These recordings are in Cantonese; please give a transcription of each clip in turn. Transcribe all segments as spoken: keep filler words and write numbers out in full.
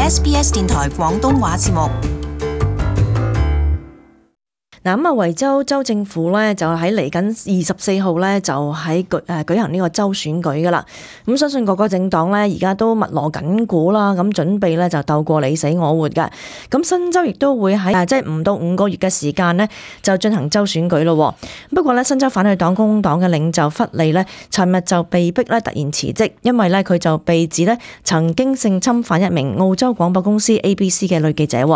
S B S 電台廣東話節目。嗱咁啊，維州州政府咧就喺嚟緊二十四號咧就喺舉誒舉行呢個州選舉噶啦。咁相信各個政黨咧而家都密鑼緊鼓啦，咁準備咧就鬥過你死我活嘅。咁新州亦都會喺即係唔到五個月嘅時間呢就進行州選舉咯。不過咧新州反對黨工黨嘅領袖弗利呢，尋日就被逼咧突然辭職，因為咧佢就被指咧曾經性侵犯一名澳洲廣播公司 A B C 嘅女記者。係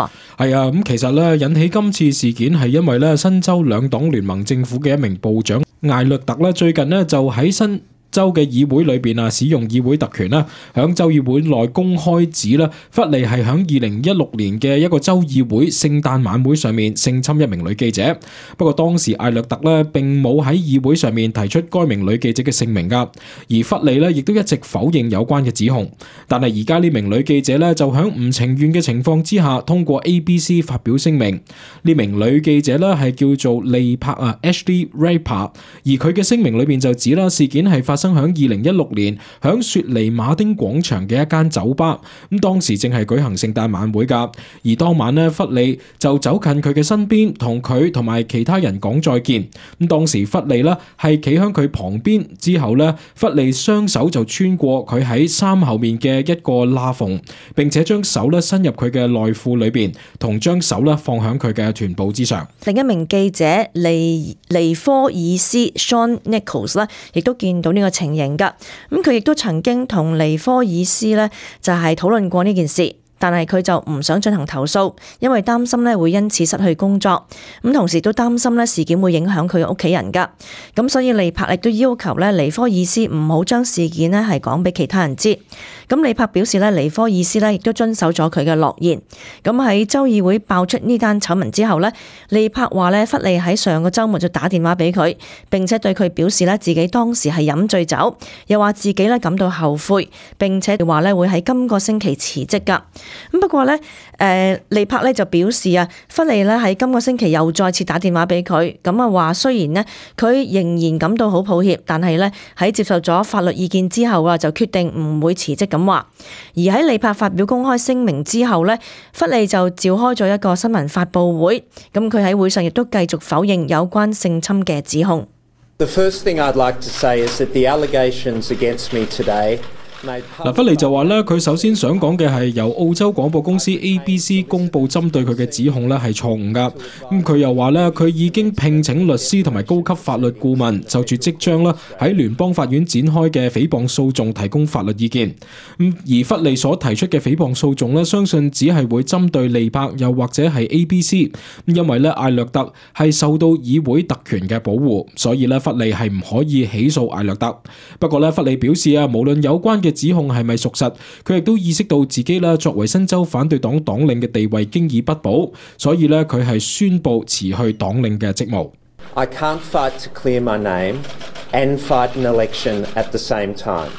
啊，咁其實咧引起今次事件係因為咧新州兩黨聯盟政府嘅一名部長艾略特咧，最近咧就喺新州嘅議會裏邊啊，使用議會特權啦，響州議會內公開指啦，弗利係響二零一六年嘅一個州議會聖誕晚會上面性侵一名女記者。不過當時艾略特咧並冇喺議會上面提出該名女記者嘅姓名噶，而弗利咧亦都一直否認有關嘅指控。但係而家呢名女記者咧就響唔情願嘅情況之下，通過 A B C 發表聲明。呢名女記者咧係叫做利柏啊 Ashley Raper， 而佢嘅聲明裏邊就指啦，事件係發生響二零一六年響雪梨馬丁廣場嘅一間酒吧，咁當時正係舉行聖誕晚會噶，而當晚呢，弗利就走近佢嘅身邊，同佢同埋其他人講再見。咁當時弗利呢係企響佢旁邊，之後呢，弗利雙手就穿過佢喺衫後面嘅一個罅縫，並且將手呢伸入佢嘅內褲裏邊，同將手呢放響佢嘅臀部之上。另一名記者利尼科爾斯 Sean Nichols 呢，亦都見到呢個情形。咁佢亦都曾經同尼科爾斯呢就係討論過呢件事，但係佢就唔想進行投訴，因為擔心呢會因此失去工作，咁同時都擔心呢事件會影響佢嘅屋企人噶，咁所以利柏亦都要求呢尼科爾斯唔好將事件呢係講俾其他人知。咁利柏表示呢尼科爾斯呢亦都遵守咗佢嘅諾言。咁喺州議會爆出呢單醜聞之後呢，利柏話呢弗利喺上個週末就打電話俾佢，並且對佢表示呢自己當時係飲醉酒，又話自己呢感到後悔，並且話呢會喺今個星期辭職噶。咁不過呢，誒利柏呢就表示啊，弗利呢喺今個星期又再次打電話俾佢，咁啊話雖然呢，佢仍然感到好抱歉，但係呢，喺接受咗法律意見之後啊，就決定唔會辭職咁話。而喺利柏發表公開聲明之後呢，弗利就召開咗一個新聞發佈會，咁佢喺會上亦都繼續否認有關性侵嘅指控。The first thing I'd like to say is that the allegations against me today嗱，弗利就話咧，佢首先想講嘅係由澳洲廣播公司 A B C 公佈針對佢嘅指控咧係錯誤噶。咁佢又話咧，佢已經聘請律師同埋高級法律顧問就住即將啦喺聯邦法院展開嘅誹謗訴訟提供法律意見。咁而弗利所提出嘅誹謗訴訟咧，相信只係會針對利柏又或者係 A B C， 因為咧艾略特係受到議會特權嘅保護，所以咧弗利係唔可以起訴艾略特。不過咧弗利表示啊，無論有關嘅指控係咪屬實，佢亦都意識到自己啦作為新州反對黨黨領嘅地位經已不保，所以咧佢係宣布辭去黨領嘅職務。I can't fight to clear my name and fight an election at the same time。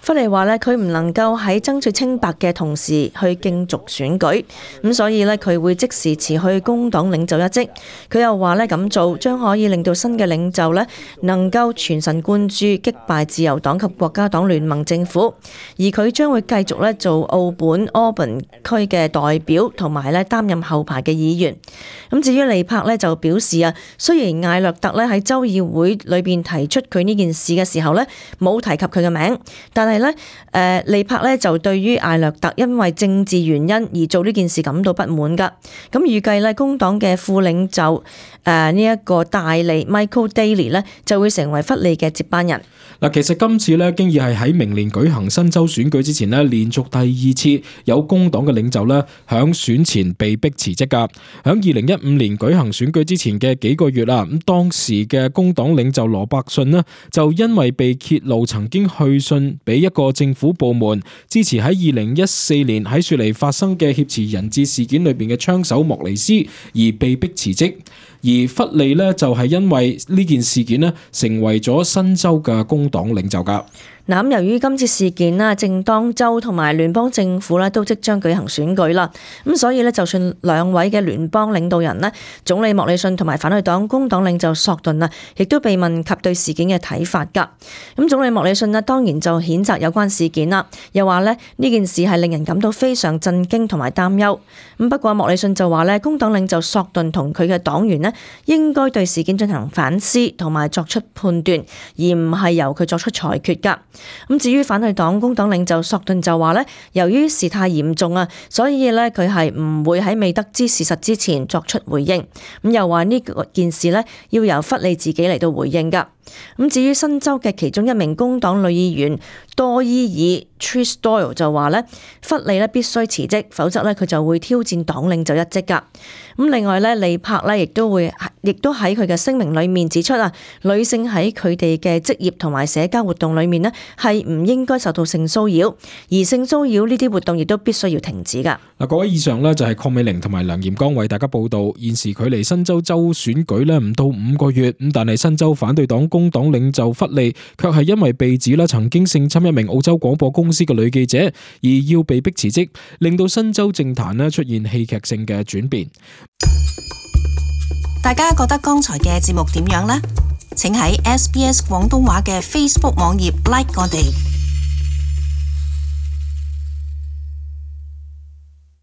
弗利話咧，佢唔能夠喺爭取清白嘅同時去競逐選舉，咁所以咧佢會即時辭去工黨領袖一職。佢又話咧咁做將可以令到新嘅領袖咧能夠全神貫注擊敗自由黨及國家黨聯盟政府，而佢將會繼續咧做澳本 Auburn 區嘅代表，同埋咧擔任後排嘅議員。咁至於利柏咧就表示啊，雖然艾略特咧喺州議會裏邊提出佢呢件事嘅時候咧冇提及佢嘅名，但係係咧，誒利柏咧就對於艾略特因為政治原因而做呢件事感到不滿噶。咁預計咧工黨嘅副領袖誒呢一個戴利 Michael Daly 咧就會成為弗利嘅接班人。嗱，其實今次咧經已係喺明年舉行新州選舉之前咧，連續第二次有工黨嘅領袖咧響選前被逼辭職噶。響二零一五年舉行選舉之前嘅幾個月啦，咁當時嘅工黨領袖羅伯遜咧就因為被揭露曾經去信俾一個政府部門支持喺二零一四年喺雪梨發生嘅挾持人質事件裏邊嘅槍手莫尼斯而被逼辭職。而弗利呢，就係因為呢件事件呢，成為咗新州嘅工黨領袖㗎。嗱，由於今次事件啦，正當州同埋聯邦政府咧都即將舉行選舉啦，咁所以咧，就算兩位嘅聯邦領導人咧，總理莫里遜同埋反對黨工黨領袖索頓啊，亦都被問及對事件嘅睇法㗎。咁總理莫里遜咧當然就譴責有關事件啦，又話咧呢件事係令人感到非常震驚同埋擔憂。咁不過莫里遜就話咧，工黨領袖索頓同佢嘅黨員咧應該對事件進行反思同埋作出判斷，而唔係由佢作出裁決㗎。咁至於反對黨工黨領袖索頓就話咧，由於事態嚴重啊，所以咧佢係唔會喺未得知事實之前作出回應。咁又話呢件事咧要由弗利自己嚟到回應㗎。咁至於新州嘅其中一名工黨女議員多伊爾 Trish Doyle 就話咧，弗利咧必須辭職，否則咧佢就會挑戰黨領袖一職㗎。咁另外咧，利柏咧亦都會，亦都喺佢嘅聲明裏面指出啊，女性喺佢哋嘅職業同埋社交活動裏面呢，係唔應該受到性騷擾，而性騷擾呢啲活動亦都必須要停止㗎。嗱，各位以上呢，就係鄺美玲同埋梁炎剛為大家報道，現時距離新州州選舉呢唔到五個月，咁但係新州反對黨工黨領袖弗利卻係因為被指啦曾經性侵一名澳洲廣播公司嘅女記者，而要被迫辭職，令到新州政壇呢出現戲劇性嘅轉變。大家覺得剛才嘅節目點樣呢？請喺 S B S 廣東話嘅 Facebook 網頁 like 我哋。